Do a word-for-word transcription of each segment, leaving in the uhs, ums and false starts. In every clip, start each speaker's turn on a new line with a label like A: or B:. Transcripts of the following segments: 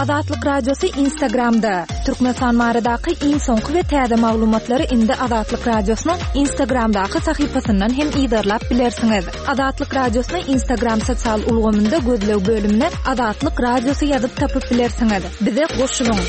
A: Azatlyk Radiosy Instagramda. Türkmenistan baradaky iň soňky we täze maglumatlary indi Azatlyk Radiosynyň Instagramdaky sahypasyndan hem yzarlap bilersiňiz. Azatlyk Radiosyny Instagram sosial ulgamynda gözleg bölümine Azatlyk Radiosy ýazyp tapyp bilersiňiz. Bize goşulyň.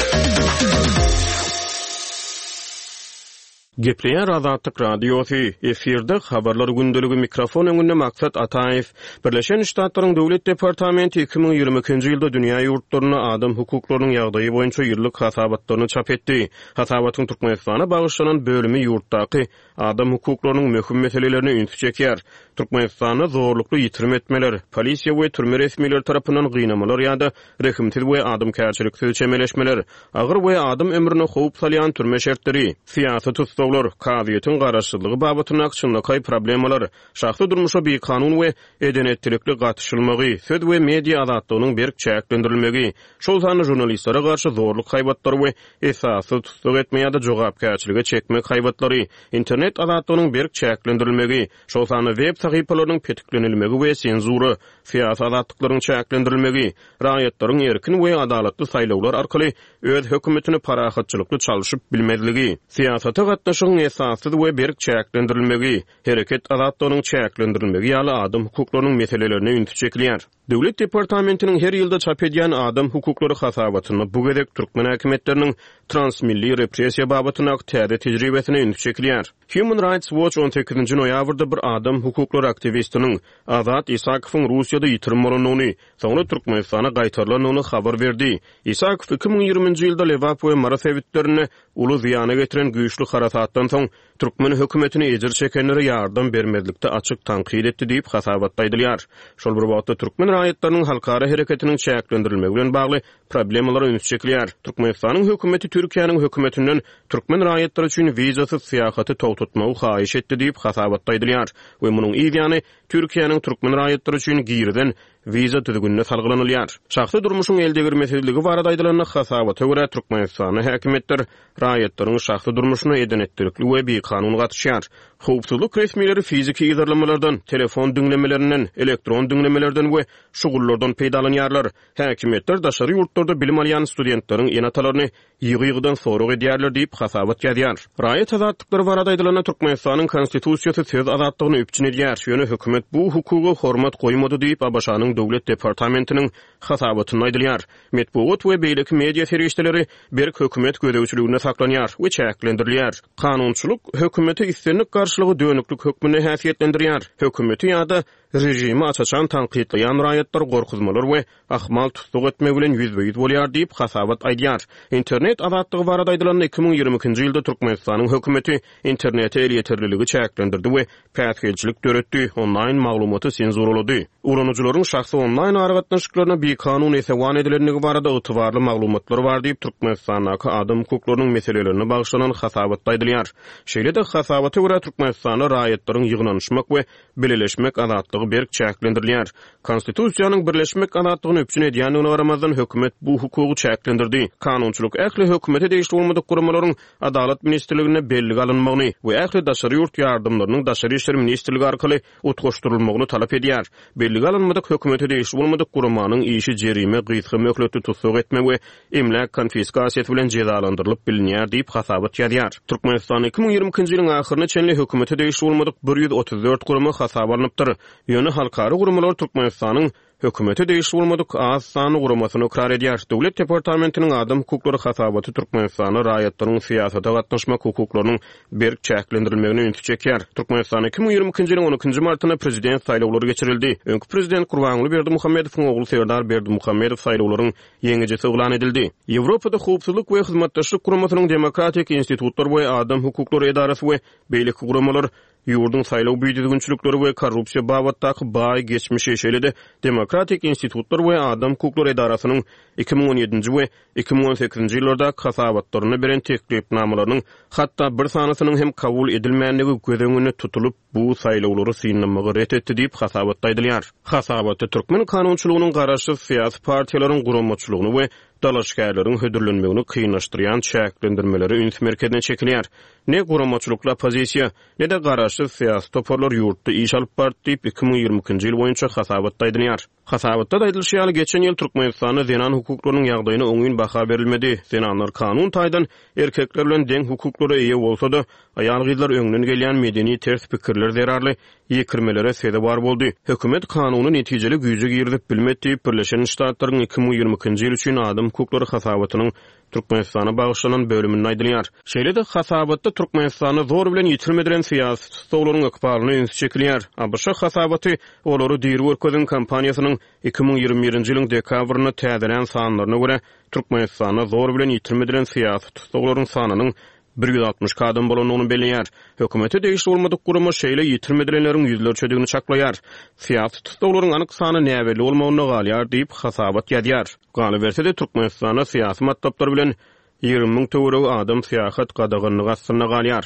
B: Gepleýär Azatlyk Radiosy, efirde habarlar gündeligi mikrofon öňünde Maksat Ataýew. Birleşen Ştatlaryň Döwlet departamenti iki müň ýigrimi ikinji ýylda dünýä ýurtlarynda adam hukuklarynyň ýagdaýy boýunça ýyllyk hasabatlaryny çap etdi. Hasabatyň Türkmenistana bagyşlanan bölümi ýurtdaky adam hukuklarynyň möhüm meselelerine ünsi çekýär. Türkmenistanda zorlukly ýitirim etmeler, polisiýa we türme resmileri tarapyndan gynamalar ýa-da rehimsiz we adamkärçiliksiz çemeleşmeler, agyr we adam ömrüne howp salýan türme şertleri, syýasy tussaglar, kazyýetiň garaşsyzlygy babatyndaky çynlakaý problemalar, şahsy durmuşa bikanun we edenetçilikli gatyşylmagy, söz we media azatlygynyň berk çäklendirilmegi, şol sanda žurnalistlere garşy zorluk haýbatlary we esassyz tussag etme ýa-da jogapkärçilige çekmek haýbatlary, internet azatlygynyň berk çäklendirilmegi, şol sanda web sahypalarynyň petiklenilmegi we senzura, syýasy azatlyklaryň çäklendirilmegi, raýatlaryň erkin we adalatly saýlawlar arkaly öz hökümetini parahatçylykly çalşyp bilmezligi, syýasata gatnaşygyň esassyz we berk çäklendirilmegi, hereket azatlygynyň çäklendirilmegi ýaly adam hukuklarynyň meselelerine ünsi çekilýär. Döwlet departamentiniň her ýylda çap edýän adam hukuklary hasabatynda bu gezek türkmen häkimiýetleriniň transmilli repressiýa babatyndaky täze tejribesine ünsi çekilýär. Human Rights Watch on sekizinji noýabrda bir adam hukuklary aktiwistiniň Azat Isakowyň Russiýada ýitirim bolandygyny, soňra Türkmenistana gaýtarylandygyny habar berdi. Isakow iki müň ýigriminji ýylda Lebap we Mary sebitlerinde uly zyýana getiren güýçli harasatdan soň türkmen hökümetini ejir çekenlere ýardam bermezlikde açyk tankyt etdi diýip hasabatda aýdylýar. Şol bir wagtda türkmen raýatlarynyň halkara hereketiniň çäklendirilmegi bilen bagly problemalara üns çekilýär. Türkmenistanyň hökümeti Türkiýäniň hökümetinden türkmen raýatlary üçin wizasyz syýahaty togtatmagy haýyş etdi diýip hasabatda aýdylýar we munuň ýany Türkiýäniň türkmen raýatlary üçin girizen wiza düzgünine salgylanylýar. Şahsy durmuşyň eldegirmesizligi barada aýdylanda hasabata görä Türkmenistanyň häkimiýetler raýatlaryň şahsy durmuşyna edenetçilikli we bikanun gatyşýar. Howpsuzlyk resmileri fiziki yzarlamalardan, telefon diňlemelerinden, elektron diňlemelerden we şugullardan peýdalanýarlar. Häkimiýetler daşary ýurtlarda bilim alýan studentleriň ene-atalaryny ýygy-ýygydan sorag edýärler diýip hasabat ýazýar. Raýat azatlyklary barada aýdylanda Türkmenistanyň konstitusiýasy söz azatlygyny üpjün edýär. Ýöne hökümet bu hukuga hormat goýmady diýip A B Ş-nyň Döwlet departamentiniň hasabatynda aýdylýar. Metbugat we beýleki media serişdeleri berk hökümet gözegçiliginde saklanýar we çäklendirilýär. Kanunçylyk hökümete islendik garşylygy dönüklük hökmünde häsiýetlendirýär. Hökümeti ýa-da rejimi açaçan tankytlaýan raýatlar gorkuzmalar we ahmal tussag etme bilen ýüzbe-ýüz bolýar diýip hasabat aýdýar. Internet azatlygy barada aýdylanda iki müň ýigrimi ikinji ýylda Türkmenistanyň hökümeti internete elýeterliligi çäklendirdi we päsgelçilik döretdi, onlaýn maglumaty senzuralady. Ulanyjylaryň şahsy onlaýn aragatnaşyklaryna bikanun esewan edilendigi barada ygtybarly maglumatlar bar diýip Türkmenistandaky adam hukuklarynyň meselelerine bagyşlanan hasabatda aýdylýar. Şeýle-de hasabata görä Türkmenistanda raýatlaryň ýygnanyşmak we bileleşmek azatlygy berk çäklendirilýär. Konstitusiýanyň birleşmek azatlygyny üpjün edýändigine garamazdan hökümet bu hukugy çäklendirdi. Kanunçylyk ähli hökümete degişli bolmadyk guramalaryň Adalat ministrligine bellige alynmagyny we ähli daşary ýurt ýardamlarynyň Daşary işler ministrligi arkaly utgaşdyrylmagyny talap edýär. Bellige alynmadyk hökümete degişli bolmadyk guramanyň işi jerime, gysga möhletli tussag etme we emläk konfiskasiýasy bilen jezalandyrylyp bilinýär diýip hasabat ýazýar. Türkmenistan iki müň ýigrimi ikinji ýylyň ahyryna çenli hökümete degişli bolmadyk bir ýüz otuz dört gurama hasaba alnypdyr. Ýöne halkara guramalar Türkmenistanyň hökümete degişli bolmadyk az sanly guramasyny ykrar edýär. Döwlet departamentiniň adam hukuklary hasabaty Türkmenistanda raýatlaryň syýasata gatnaşmak hukuklarynyň berk çäklendirilmegine ünsi çekýär. Türkmenistan iki müň ýigrimi ikinji ýylyň on ikinji martynda prezident saýlawlary geçirildi. Öňki prezident Gurbanguly Berdimuhamedowyň ogly Serdar Berdimuhamedow saýlawlaryň ýeňijisi yglan edildi. Ýewropada Howpsuzlyk we Hyzmatdaşlyk Guramasynyň Demokratik institutlar we adam hukuklary edarasy we beýleki guramalar ýurduň saýlaw büdüzgünçilikleri we korrupsiýa babatdaky baý geçmişi, şeýle-de Demokratik institutlar we adam hukuklary edarasynyň iki müň on ýedinji we iki müň on sekizinji ýyllarda hasabatlarynda beren teklipnamalarynyň hatda bir sanysynyň hem kabul edilmändigi göz öňünde tutulyp, bu saýlawlary synlamagy ret etdi diýip hasabatda aýdylýar. Hasabatda türkmen kanunçylygynyň garaşsyz syýasy partiýalaryň guramaçylygyny we dalaşgärleriň hödürlenmegini kynlaşdyrýan çäklendirmelere üns merkezine çekilýär. Ne guramaçylykly oppozisiýa, ne-de garaşsyz syýasy toparlar ýurtda iş alyp bardy diýip, iki müň ýigrimi ikinji ýyl boýunça hasabatda aýdylýar. Hasabatda aýdylyşy ýaly, geçen ýyl Türkmenistanda zenan hukuklarynyň ýagdaýyna oňyn baha berilmedi. Zenanlar kanun taýdan erkekler bilen deň hukuklara eýe bolsa-da, aýal-gyzlar öňden gelýän medeni ters pikirler zerarly ýekirmelere sezewar boldy. Hökümet kanuny netijeli güýje girizip bilmedi diýip, Birleşen Ştatlaryň iki müň ýigrimi ikinji ýyl üçin adam hukuklary hasabatynyň Türkmenistana bagyşlanan bölüminde aýdylýar. Şeýle-de hasabatda Türkmenistanda zor bilen ýitirim edilen syýasy tussaglaryň ykbalyna üns çekilýär. A B Ş hasabaty olary diri görkezen kampaniýasynyň iki müň ýigrimi birinji ýylyň dekabrynda täzelän sanlaryna görä Türkmenistanda zor bilen ýitirim edilen syýasy tussaglaryň sanynyň bir ýüz altmyş iki adam bolandygyny belleýär. Hökümete degişli bolmadyk gurama şeýle ýitirim edilenleriň ýüzlerçedigini çaklaýar. Syýasy tussaglaryň anyk sany näbelli bolmagynda galýar diýip hasabat ýazýar. Galyberse-de Türkmenistanda syýasy matlaplar bilen ýigrimi müň töweregi adam syýahat gadaganlygy astynda galýar.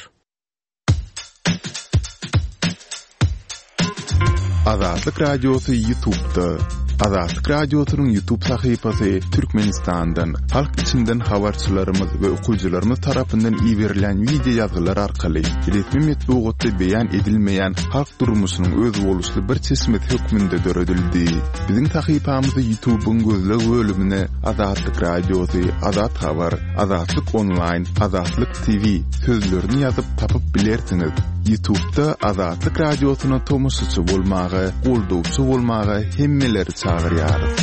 C: Azatlyk Radiosy YouTube'da. Azatlyk Radiosynyň YouTube sahypasy Türkmenistandan, halk içinden habarçylarymyz we okyjylarymyz tarapyndan iberilen wideo ýazgylar arkaly resmi metbugatda beýan edilmeýän halk durmuşynyň özboluşly bir çeşmesi hökmünde döredildi. Biziň sahypamyzy YouTube'yň gözleg bölümine Azatlyk Radiosy, Azat Habar, Azatlyk Online, Azatlyk T V sözlerini ýazyp tapyp bilersiňiz. YouTube'da Azatlyk Radiosyna tomaşaçy bolmaga, goldawçy bolmaga hemmeleri çagyrýarys.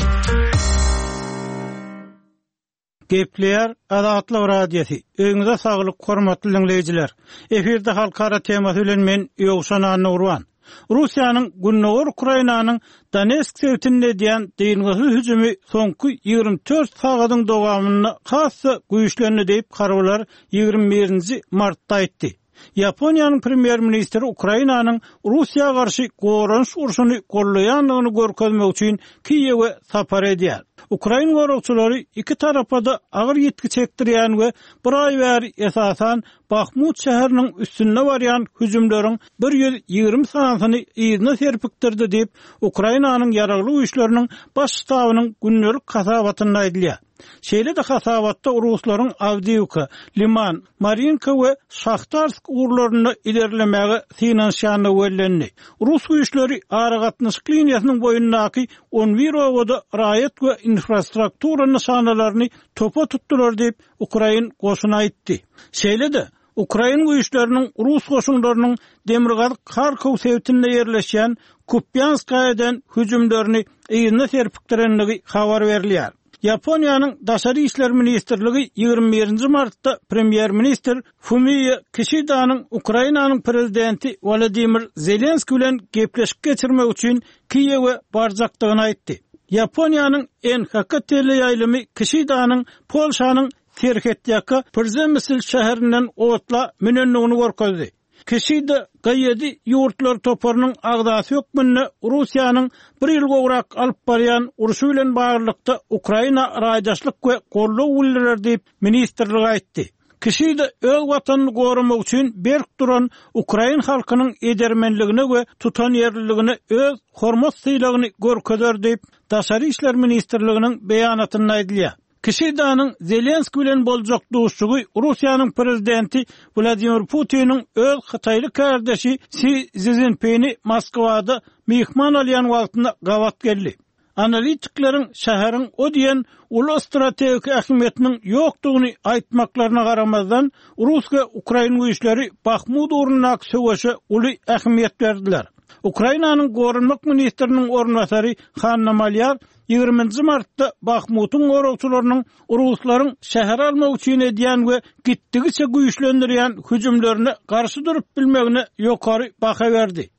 D: Gepleýär Azatlyk Radiosy. Öýüňize saglyk, hormatly dinleýjiler. Efirde halkara temasy bilen men Ýowşan Annagurban. Russiýanyň Gündogar Ukrainanyň Donetsk sebitinde edýän dyngysyz hüjümi soňky ýigrimi dört sagadyň dowamynda has-da güýçlendi diýip harbylar ýigrimi birinji martda aýtdy. Ýaponiýanyň premýer-ministri Ukrainanyň Russiýa garşy goranyş urşuny gollaýandygyny görkezmek üçin Kiýewe sapar edýär. Ukrain goragçylary iki tarapa-da agyr ýitgi çekdirýän we bir aý bäri esasan Bahmut şäheriniň üstünde barýan hüjümleriň bir ýüz ýigrimi sanysyny yzyna serpikdirdi diýip, Ukrainanyň ýaragly güýçleriniň baş ştabynyň gündelik hasabatynda aýdylýar. Şeýle-de hasabatda Ruslaryň Awdiýewka, Liman, Marinka we Şahtarsk ugurlarynda ilerlemäge synanyşýandygy bellendi. Rus güýçleri aragatnaşyk liniýasynyň boýundaky on bir obada raýat we infrastruktura nyşanalaryny topa tutdular diýip, Ukrain goşuny aýtdy. Şeýle-de Ukrain güýçleriniň Rus goşunlarynyň Demirgazyk Harkow sebitinde ýerleşýän Kupýanskaýa eden hüjümlerini yzyna serpikdirendigi habar berilýär. Ýaponiýanyň Daşary işler ministrligi ýigrimi birinji martda premýer-ministr Fumio Kishidanyň Ukrainanyň prezidenti Wladimir Zelenski bilen gepleşik geçirmek üçin Kiýewe barjakdygyny aýtdy. Ýaponiýanyň N H K teleýaýlymy Kishidanyň Polşanyň Serhetýaka Przemysl şäherinden otla münendigini görkezdi. Kişida G ýedi ýurtlar toparynyň agzasy hökmünde Russiýanyň bir ýyl gowrak alyp barýan urşy bilen baglylykda Ukraina raýdaşlyk we goldaw bildirer diýip ministrlik aýtdy. Kişida öz watanyny goramak üçin berk duran Ukrain halkynyň edermenligine we tutanýerliligine öz hormat sylagyny görkezer diýip Daşary işler ministrliginiň beýanatynda aýdylýar. Kişidanyň Zelenski bilen boljak duşuşygy Russiýanyň prezidenti Wladimir Putiniň öz Hytaýly kardeşi Si Szinpini Moskwada myhman alýan wagtynda gabat geldi. Analitikleriň şäheriň o diýen uly strategik ähmiýetiniň ýokdugyny aýtmaklaryna garamazdan, Rus we Ukrain güýçleri Bahmut ugrundaky söweşe uly ähmiýet berdiler. Ukrainanyň Goranmak ministriniň orunbasary Hanna Malýar ýigriminji martda Bahmutyň goragçylarynyň Ruslaryň şäher almak üçin edýän we gitdigiçe güýçlendirýän hüjümlerine garşy durup bilmegine ýokary baha berdi.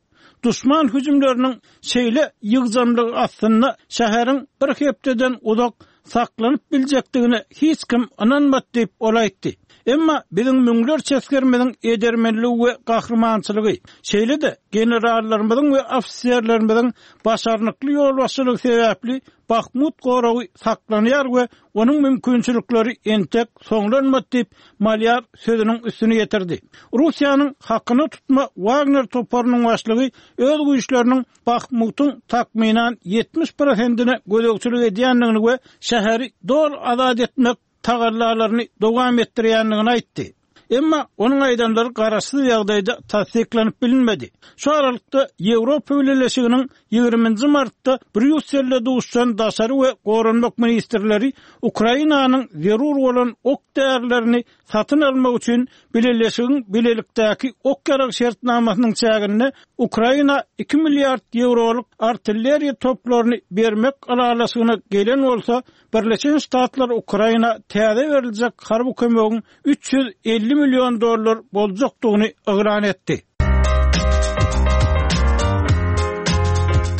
D: Düşman hüjümleriniň şeýle ýygjamlygy aslynda şäheriň bir hepdeden uzak saklanyp biljekdigine hiç kim ynanmady diýip ol aýtdy. Emma biziň müňlerçe esgerimiziň edermenligi we gahrymançylygy, şeýle-de generallarymyzyň we ofiserlerimiziň başarnykly ýolbaşçylygy sebäpli Bahmut goragy saklanýar we onuň mümkinçilikleri entek soňlanmady diýip, Malýar sözüniň üstüni ýetirdi. Russiýanyň hakyna tutma Wagner toparynyň başlygy öz güýçleriniň Bahmutyň takmynan ýetmiş prosentine gözegçilik edýändigini we şäheri doly azat etmek tagallalaryny dowam etdirýändigini aýtdy. Emma onuň aýdanlary garaşsyz ýagdaýda tassyklanyp bilinmedi. Şu aralykda Ýewropa Bileleşiginiň ýigriminji martda Brýusselde duşan daşary we goranmak ministrleri Ukrainanyň zerur bolan ok därilerini satyn almak üçin Bileleşigiň bilelikdäki ok ýarag şertnamasynyň çäginde Ukraina iki milliard ýewrolyk artilleriýa toplaryny bermek ylalaşygyna gelen bolsa, Birleşen Ştatlar Ukraina täze beriljek harby kömegiň üç ýüz elli million dollar boljakdygyny yglan etdi.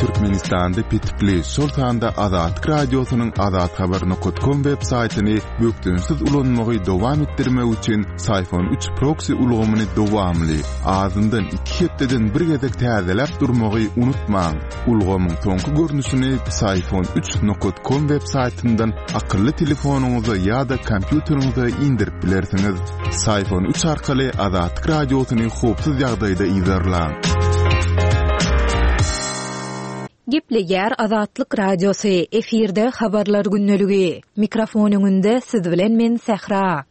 C: Türkmenistanda petikli, şol sanda Azatlyk Radiosynyň azathabar nokat kom web saýtyny bökdençsiz ulanmagy dowam etdirmek üçin Syfon üç proksi ulgamyny dowamly, azyndan iki hepdeden bir gezek täzeläp durmagy unutmaň. Ulgamyň soňky görnüşini Syfon üç nokat kom web saýtyndan akylly telefonyňyza ýa-da kompýuteriňize indirip bilersiňiz. Syfon üç arkaly Azatlyk Radiosyny howpsuz ýagdaýda yzarlaň.
A: Gepleýär Azatlyk Radiosy, efirde habarlar gündeligi. Mikrofon öňünde siz bilen men Sähra.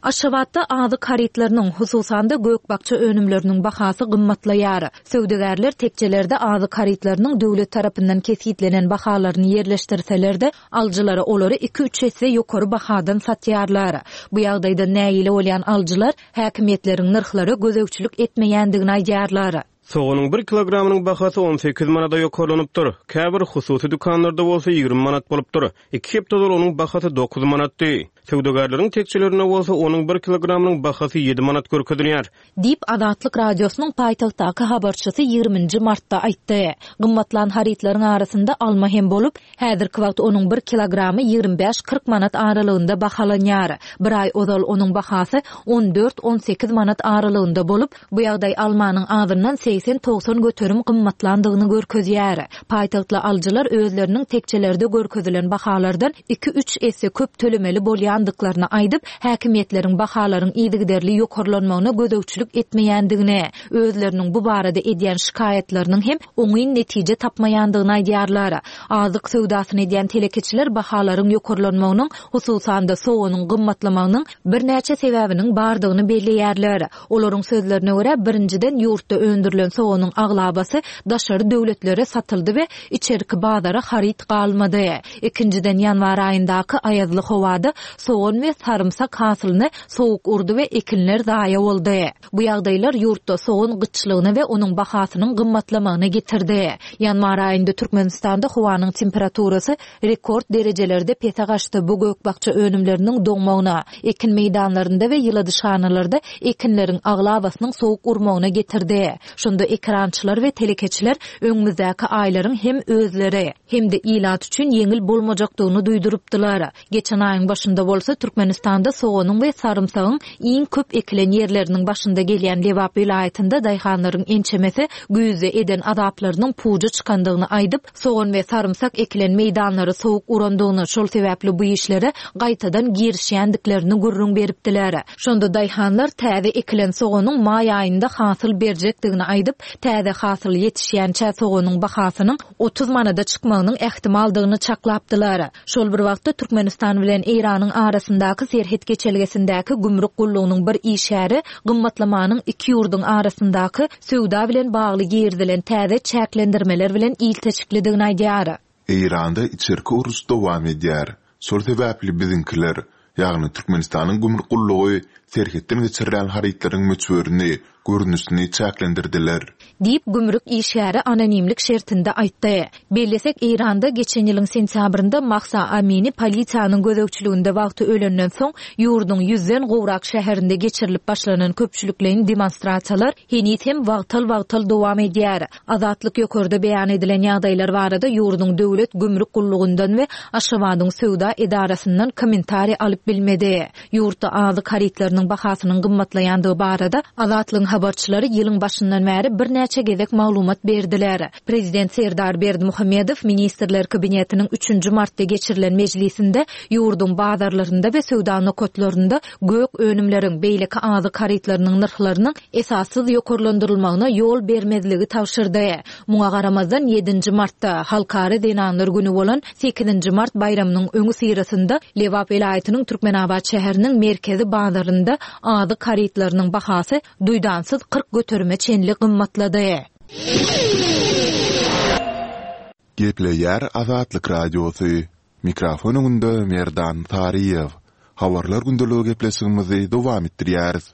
A: Aşgabatda azyk harytlarynyň, hususan-da gök-bakja önümleriniň bahasy gymmatlaýar. Söwdagärler tekjelerde azyk harytlarynyň döwlet tarapyndan kesgitlenen bahalaryny ýerleşdirseler-de, alyjylara olary iki-üç esse ýokary bahadan satýarlar. Bu ýagdaýda nägile bolýan alyjylar häkimiýetleriň nyrhlara gözegçilik etmeýändigini aýdýarlar.
B: Soganyň bir kilogramynyň bahasy on sekiz manada ýokarlanypdyr. Käbir hususy dükanlarda bolsa ýigrimi manat bolupdyr. Iki hepde ozal onuň bahasy dokuz manatdy. Söwdagärleriň tekjelerinde bolsa onuň bir kilogramynyň bahasy ýedi manat görkezilýär.
A: Diýip Azatlyk Radiosynyň paýtagtdaky habarçysy ýigriminji martda aýtdy. Gymmatlan harytlaryň arasynda alma hem bolup, häzirki wagt onuň bir kilogramy ýigrimi bäş kyrk manat aralygynda bahalanýar. Bir aý ozal onuň bahasy on dört on sekiz manat aralygynda bolup, bu ýagdaý almanyň azyndan segsen togsan göterim gymmatlandygyny görkezýär. Paýtagtly alyjylar özleriniň tekjelerde görkezilen bahalardan iki üç esse köp tölemeli bolýandyklaryny aýdyp, häkimiýetleriň bahalaryň yzygiderli ýokarlanmagyna gözegçilik etmeýändigini, özleriniň bu barada edýän şikaýatlarynyň hem oňyn netije tapmaýandygyny aýdýarlar. Azyk söwdasyny edýän telekeçiler bahalaryň ýokarlanmagynyň, hususan-da soganyň gymmatlamagynyň birnäçe sebäbiniň bardygyny belleýärler. Olaryň sözlerine görä, birinjiden ýurtda öndürilen soganyň aglabasy daşary döwletlere satyldy we içerki bazara haryt galmady. Ikinjiden ýanwar aýyndaky aýazly howada sogan we sarymsak hasylyny sowuk urdy we ekinler zaýa boldy. Bu ýagdaýlar ýurtda sogan gytçylygyna we onuň bahasynyň gymmatlamagyna getirdi. Ýanwar aýynda Türkmenistanda howanyň temperaturasy rekord derejelerde pese gaçdy. Bu gök-bakja önümleriniň doňmagyna, ekin meýdanlarynda we ýyladyşhanalarda ekinleriň aglabasynyň sowuk urmagyna getirdi. Şonda ekrançylar we telekeçiler öňümizdäki aýlaryň hem özleri hem de ilat üçin ýeňil bolmajakdygyny duýdurypdylar. Geçen aýyň başynda bolsa Türkmenistanda soganyň we sarymsagyň iň köp ekilen ýerleriniň başynda gelýän Lebap welaýatynda daýhanlaryň ençemesi güýzde eden azaplarynyň puja çykandygyny aýdyp, sogan we sarymsak ekilen meýdanlary sowuk urandygyny, şol sebäpli bu işlere gaýtadan girişýändiklerini gürrüň beripdiler. Şonda daýhanlar täze ekilen soganyň maý aýynda hasyl berjekdigini aýdyp, täze hasyl ýetişýänçä soganyň bahasynyň otuz manada çykmagynyň ähtimaldygyny çaklapdylar. Şol bir wagtda Türkmenistan bilen Eýranyň arasyndaky serhet geçelgesindäki gümrük gullugynyň bir işgäri gymmatlamanyň iki ýurduň arasyndaky söwda bilen bagly girizilen täze çäklendirmeler bilen ilteşiklidigini aýdýar.
C: Eýranda içerki uruş dowam edýär. Şol sebäpli biziňkiler, ýagny Türkmenistanyň gümrük gullugy serhetden geçirilen harytlaryň möçberini, görnüşini çäklendirdiler.
A: Diýip gümrük işgäri anonimlik şertinde aýtdy. Bellesek Eýranda geçen ýylyň sentýabrynda Mahsa Amini polisiýanyň gözegçiliginde wagty ölenden soň ýurduň ýüzden gowrak şäherinde geçirilip başlanan köpçülikleýin demonstrasiýalar heniz hem wagtal-wagtal dowam edýär. Azatlyk ýokarda beýan edilen ýagdaýlar barada ýurduň döwlet gümrük gullugyndan we Aşgabadyň söwda edarasyndan kommentariý alyp bilmedi. Ýurtda azyk harytlarynyň bahasynyň gymmatlaýandygy barada Azatlygyň habarçylary ýylyň başyndan bäri birnäçe gezek maglumat berdiler. Prezident Serdar Berdimuhamedow Ministrler Kabinetiniň üçünji martda geçirilen mejlisinde ýurduň bazarlarynda we söwda nokatlarynda gök önümleriň, beýleki azyk harytlarynyň nyrhlarynyň esassyz ýokarlandyrylmagyna ýol bermezligi tabşyrdy. Muňa garamazdan, ýedinji martda, Halkara zenanlar güni bolan sekizinji mart baýramynyň öňüsyrasynda Lebap welaýatynyň Türkmenabat şäheriniň merkezi bazarynda azyk harytlarynyň bahasy duýdansyz kyrk göterime çenli gymmatlady.
C: Gepleýär Azatlyk Radiosy, Mikrofon öňünde Merdan Saryýew. Habarlar gündeligi gepleşigimizi dowam etdirýäris.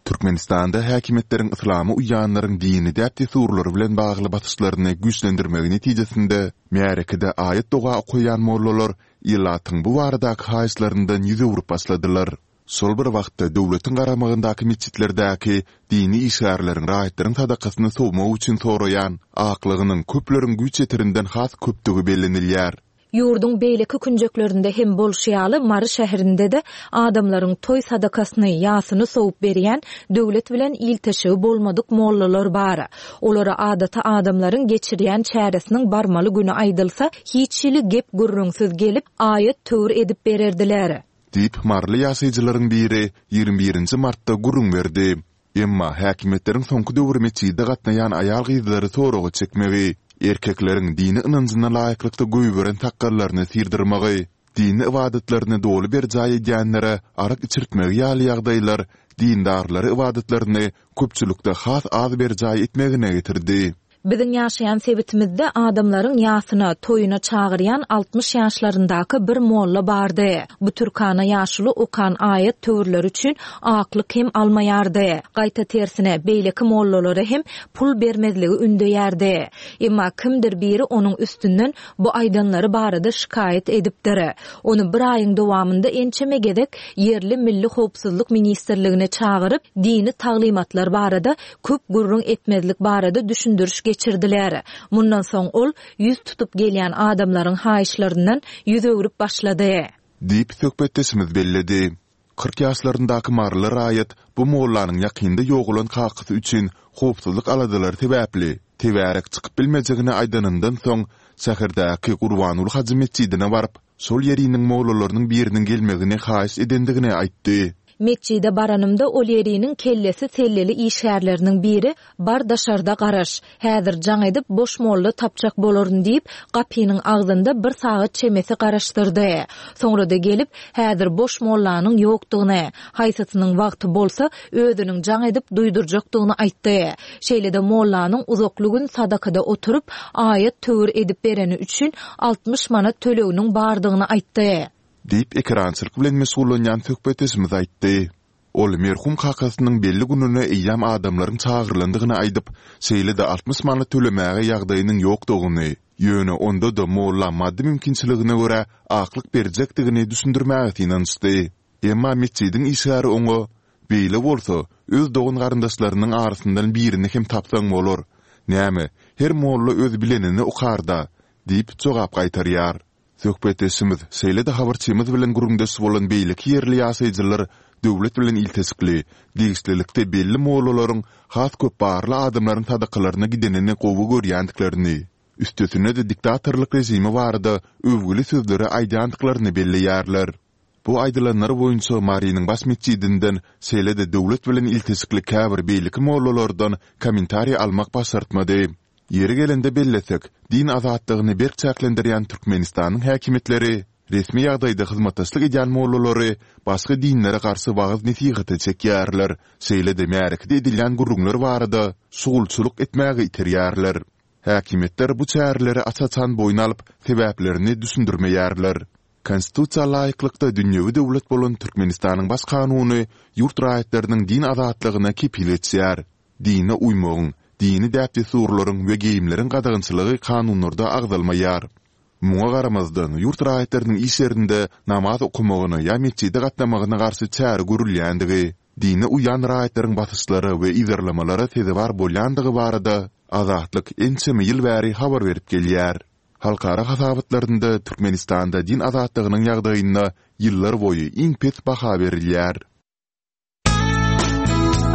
C: Türkmenistanda häkimiýetleriň yslama uýýanlaryň dini däp-dessurlary bilen bagly basyşlaryny güýçlendirmegi netijesinde, märekede aýat-doga okaýan mollalar ilatyň bu baradaky haýyşlaryndan ýüz öwrüp başladylar. Şol bir wagtda, döwletiň garamagyndaky metjitlerdäki dini işgärleriň raýatlaryň sadakasyny sowmak üçin soraýan aklygynyň köpleriň güýç ýeterinden has köpdügi bellenilýär.
A: Ýurduň beýleki künjeklerinde hem bolşy ýaly, Mary şäherinde-de adamlaryň toý sadakasyny, ýasyny sowup berýän döwlet bilen ilteşigi bolmadyk mollalar bar. Olara adaty adamlaryň geçirýän çäresiniň barmaly güni aýdylsa, hiç hili gep-gürrüňsiz gelip, aýat-töwir edip bererdiler.
C: Diýip, maryly ýaşaýjylaryň biri ýigrimi birinji martda gürrüň berdi. Emma häkimiýetleriň soňky döwür metjide gatnaýan aýal-gyzlary soraga çekmegi, erkekleriň dini ynanjyna laýyklykda goýberen sakgallaryny syrdyrmagy, dini ybadatlaryny doly berjaý edýänlere arak içirtmegi ýaly ýagdaýlar dindarlary ybadatlaryny köpçülikde has az berjaý etmegine getirdi.
A: Biziň ýaşaýan sebitimizde adamlaryň ýasyna, toýuna çagyrýan altmyş ýaşlaryndaky bir molla bardy. Bu türkana ýaşuly okan aýat-töwirleri üçin aklyk hem almaýardy. Gaýta tersine, beýleki mollalara hem pul bermezligi ündeýärdi. Emma kimdir biri onuň üstünden bu aýdanlary barada şikaýat edipdir. Ony bir aýyň dowamynda ençeme gezek ýerli Milli howpsuzlyk ministrligine çagyryp, dini taglymatlar barada köp gürrüň etmezlik barada düşündiriş geçirdiler. Mundan soň ol ýüz tutup gelýän adamlaryň haýyşlaryndan ýüz öwrüp başlady.
C: Diýip, söhbetdeşimiz belledi. Kyrk ýaşlaryndaky maryly raýat bu mollanyň ýakynda ýogalan kakasy üçin howpsuzlyk aladalary sebäpli, tebärek çykyp bilmejegini aýdanyndan soň, şäherdäki Gurbanguly hajy metjidine baryp, şol ýeriniň mollalarynyň biriniň gelmegini haýyş edendigini aýtdy.
A: Metjide baranymda ol ýeriniň kellesi selleli işgärleriniň biri, Bar daşarda garaş. Häzir jaň edip boş molla tapjak bolaryn diýip, gapynyň agzynda bir sagat çemesi garaşdyrdy. Soňra-da gelip, häzir boş mollanyň ýokdugyny, haýsysynyň wagty bolsa, özüniň jaň edip duýdurjakdygyny aýtdy. Şeýle-de mollanyň uzakly gün sadakada oturyp, aýat-töwir edip bereni üçin altmyş manat töleginiň bardygyny aýtdy.
C: Diýip, ekerançylyk bilen meşgullanýan söhbetdeşimiz aýtdy. Ol merhum kakasynyň belli gününe eýýäm adamlaryň çagyrylandygyny aýdyp, şeýle-de altmyş manat tölemäge ýagdaýynyň ýokdugyny, ýöne onda-da molla maddy mümkinçiligine görä aklyk berjekdigini düşündirmäge synanyşdy. Emma metjidiň işgäri oňa, Beýle bolsa, öz dogan-garyndaşlarynyň arasyndan birini hem tapsaň bolar. Näme, her molla öz bilenini okar-da! diýip jogap gaýtarýar. Söhbetdeşimiz, şeýle-de habarçymyz bilen gürrüňdeş bolan beýleki ýerli ýaşaýjylar döwlet bilen ilteşikli, degişlilikde belli mollalaryň has köp barly adamlaryň sadakalaryna gidenini gowy görýändiklerini, üstesine-de diktatorlyk režimi barada öwgüli sözleri aýdýandyklaryny belleýärler. Bu aýdylanlar boýunça Marynyň baş metjidinden, şeýle-de döwlet bilen ilteşikli käbir beýleki mollalardan kommentariý almak başartmady. Ýeri gelende bellesek, din azatlygyny berk çäklendirýän Türkmenistanyň häkimiýetleri resmi ýagdaýda hyzmatdaşlyk edýän mollalary başga dinlere garşy wagyz-nesihata çekýärler, şeýle-de märekede edilýän gürrüňler barada şugulçylyk etmäge iterýärler. Häkimiýetler bu çäreleri aç-açan boýun alyp, sebäplerini düşündirmeýärler. Konstitusiýa laýyklykda dünýewi döwlet bolan Türkmenistanyň Baş Kanuny ýurt raýatlarynyň din azatlygyna kepil geçýär. Dine uýmagyň, dini däp-dessurlaryň we geýimleriň gadagançylygy kanunlarda agzalmaýar. Muňa garamazdan, ýurt raýatlarynyň iş ýerinde namaz okamagyna ýa metjide gatnamagyna garşy çäre görülýändigi, dine uýýan raýatlaryň basyşlara we yzarlamalara sezewar bolýandygy barada Azatlyk ençeme ýyl bäri habar berip gelýär. Halkara hasabatlarynda Türkmenistanda din azatlygynyň ýagdaýyna ýyllarboýy iň pes baha berilýär.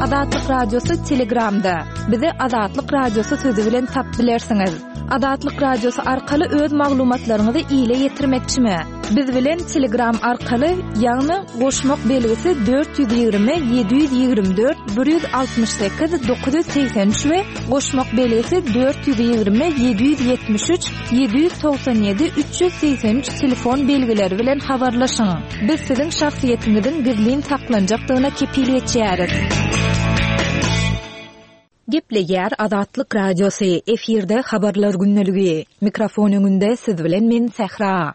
A: Azatlyk Radiosy Telegramda. Bizi Azatlyk Radiosy sözi bilen tapyp bilersiňiz. Azatlyk Radiosy arkaly öz maglumatlaryňyzy ile ýetirmekçimi? Biz bilen Telegram arkaly, ýagny goşmak belgisi dört ýüz ýigrimi ýedi ýüz ýigrimi dört bir ýüz altmyş sekiz dokuz ýüz segsen üç we goşmak belgisi dört ýüz ýigrimi ýedi ýüz ýetmiş üç ýedi ýüz togsan ýedi üç ýüz segsen üç telefon belgileri bilen habarlaşyň. Biz siziň şahsyýetiňiziň gizlin saklanjakdygyna kepil geçýäris. Gepleýär Azatlyk Radiosy, efirde habarlar gündeligi. Mikrofon öňünde siz bilen men Sähra.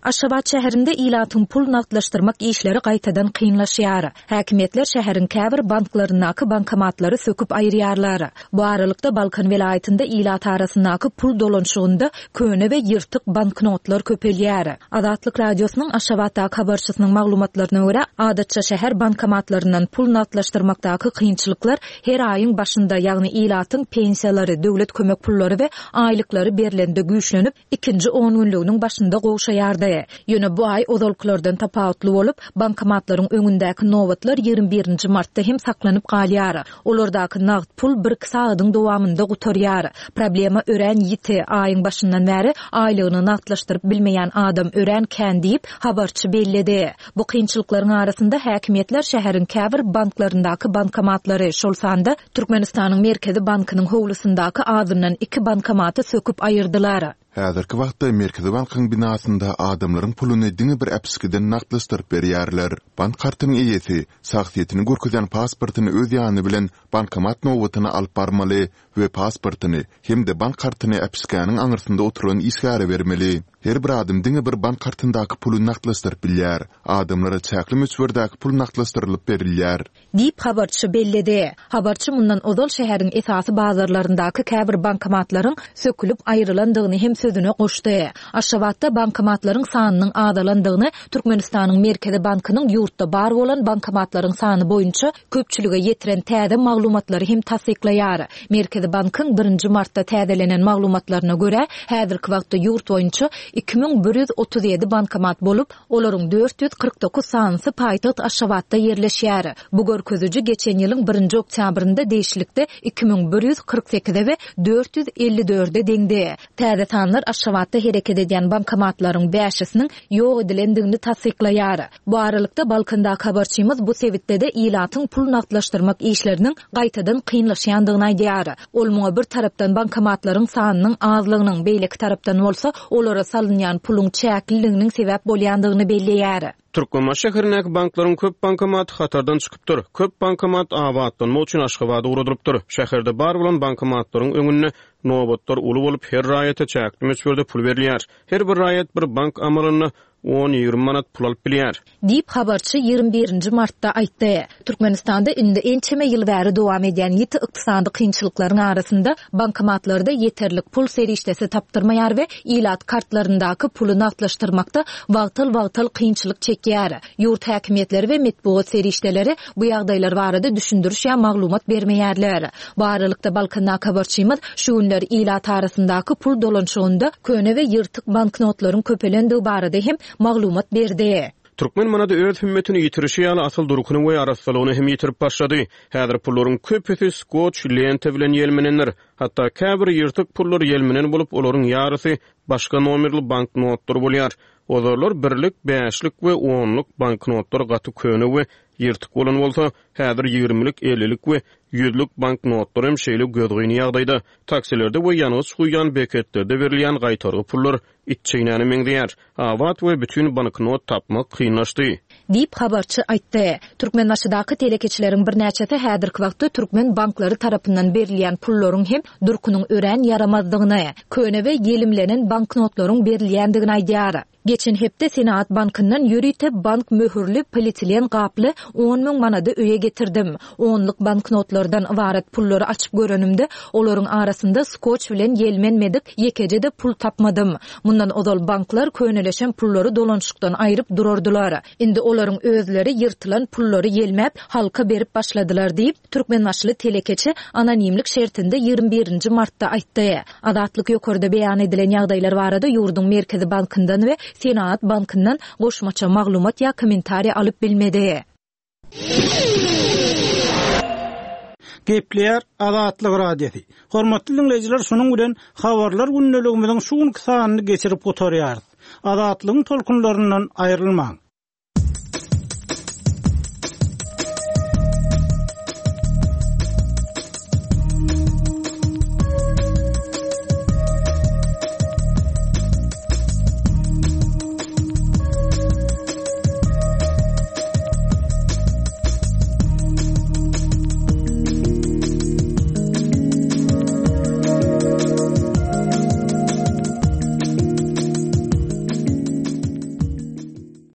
A: Aşgabat şäherinde ilatyň pul nagtlaşdyrmak işleri gaýtadan kynlaşýar. Häkimiýetler şäheriň käbir banklaryndaky bankomatlary söküp aýyrýarlar. Bu aralykda Balkan welaýatynda ilat arasyndaky pul dolanyşygynda köne we ýyrtyk banknotlar köpelýär. Azatlyk Radiosynyň Aşgabatdaky habarçysynyň maglumatlaryna görä, adatça şäher bankomatlaryndan pul nagtlaşdyrmakdaky kynçylyklar her aýyň başynda, ýagny ilatyň pensiýalary, döwlet kömek pullary we aýlyklary berlende güýçlenip, ikinji on günlüginiň başynda gowşaýardy. Ýöne bu aý ozalkylardan tapawutly bolup, bankomatlaryň öňündäki nobatlar ýigrimi birinji martda hem saklanyp galýar. Olardaky nagt pul bir-iki sagadyň dowamynda gutarýar. Problema örän ýiti, aýyň başyndan bäri aýlygyny nagtlaşdyryp bilmeýän adam örän kän diýip, habarçy belledi. Bu kynçylyklaryň arasynda häkimiýetler şäheriň käbir banklaryndaky bankomatlary, şol sanda Türkmenistanyň Merkezi bankynyň howlusyndaky azyndan iki bankomaty söküp aýyrdylar.
C: Häzirki wagtda Merkezi bankyň binasynda adamlaryň puluny diňe bir äpişgeden nagtlaşdyryp berýärler. Bank kartynyň eýesi şahsyýetini görkezýän pasportyny öz ýany bilen bankomat nobatyna alyp barmaly we pasportyny hem-de bank kartyny äpişgäniň aňyrsynda oturan işgäre bermeli. Her bir adam diňe bir bank kartyndaky puly nagtlaşdyryp bilýär. Adamlara çäkli möçberdäki pul nagtlaşdyrylyp berilýär.
A: Diýip habarçy belledi. Habarçy mundan ozal şäheriň esasy bazarlaryndaky käbir bankomatlaryň sökülip aýrylandygyny hem sözüne goşdy. Aşgabatda bankomatlaryň sanynyň azalandygyny Türkmenistanyň Merkezi bankynyň ýurtda bar bolan bankomatlaryň sany boýunça köpçülige ýetiren täze maglumatlary hem tassyklaýar. Merkezi bankyň birinji martda täzelenen maglumatlaryna görä, häzirki wagtda ýurt boýunça iki müň bir ýüz otuz ýedi bankomat bolup, olaryň dört ýüz kyrk dokuz sanysy paýtagt Aşgabatda ýerleşýär. Bu görkeziji geçen ýylyň birinji oktýabrynda degişlikde iki müň bir ýüz kyrk sekize we dört ýüz elli dörde deňdi. Täze sanlar Aşgabatda hereket edýän bankomatlaryň bäşisiniň ýok edilendigini tassyklaýar. Bu aralykda Balkandaky habarçymyz bu sebitde-de ilatyň pul nagtlaşdyrmak işleriniň gaýtadan kynlaşýandygyny aýdýar. Ol muňa bir tarapdan bankomatlaryň sanynyň azlygynyň, beýleki tarapdan bolsa olara salynýan puluň çäkliliginiň sebäp bolýandygyny belleýär.
B: Türkmenbaşy şäherindäki banklaryň köp bankomaty hatardan çykypdyr. Köp bankomat abatlanmak üçin Aşgabada ugradylypdyr. Şäherde bar bolan bankomatlaryň öňünde nobatlar uly bolup, her raýata çäkli möçberde pul berilýär. Her bir raýat bir bank amalynda on ýigrimi manat pul alyp bilýär.
A: Diýip habarçy ýigrimi birinji martda aýtdy. Türkmenistanda indi ençeme ýyl bäri dowam edýän ýiti ykdysady kynçylyklaryň arasynda bankomatlarda ýeterlik pul serişdesi tapdyrmaýar we ilat kartlaryndaky puly nagtlaşdyrmakda wagtal-wagtal kynçylyk çekýär. Ýurt häkimiýetleri we metbugat serişdeleri bu ýagdaýlar barada düşündiriş ýa maglumat bermeýärler. Bu aralykda Balkandaky habarçymyz şu günler ilat arasyndaky pul dolanyşygynda köne we ýyrtyk banknotlaryň köpelendigi barada hem maglumat berdi.
B: Türkmen manady öz hümmetini ýitirişi ýaly asyl durkuny we arassalygyny hem ýitirip başlady. Häzir pullaryň köpüsi skoç lenta bilen ýelmenendir. Hatda käbir ýyrtyk pullar ýelmenen bolup, olaryň ýarysy başga nomerli banknotlar bolýar. Ozarlar birlik, bäşlik we onluk banknotlar gaty köne we ýyrtyk bolan bolsa, häzir ýigirmilik, ellilik we ýüzlük banknotlar hem şeýle gözgyny ýagdaýda. Taksilerde we ýangyç guýýan beketlerde berilýän gaýtargy pullar iç çeýnäne meňzeýär. Abat we bütün banknot tapmak kynlaşdy.
A: Diýip habarçy aýtdy. Türkmenbaşydaky telekeçileriň birnäçesi häzirki wagtda türkmen banklary tarapyndan berilýän pullaryň hem durkunyň örän ýaramazdygyny, köne we ýelimlenen banknotlaryň berilýändigini aýdýar. Geçen hepde Senaat bankyndan ýörite bank möhürli polietilen gaply on müň manady öýe getirdim. Onluk banknotlardan ybarat pullary açyp görenimde olaryň arasynda skoç bilen ýelmenmedik ýekeje-de pul tapmadym. Mundan ozal banklar köneleşen pullary dolanyşykdan aýryp durardylar. Indi olaryň özleri ýyrtylan pullary ýelmäp halka berip başladylar diýip Türkmenbaşyly telekeçi anonimlik şertinde ýigrimi birinji martda aýtdy. Azatlyk ýokarda beýan edilen ýagdaýlar barada ýurduň Merkezi bankyndan we Senaat bankyndan goşmaça maglumat ýa kommentariýa alyp bilmedi.
D: Gepleýär Azatlyk Radiosy. Hormatly diňleýjiler, şunuň bilen Habarlar gündeligimiziň şu günki sanyny geçirip gutarýarys. Azatlygyň tolkunlaryndan aýrylmaň.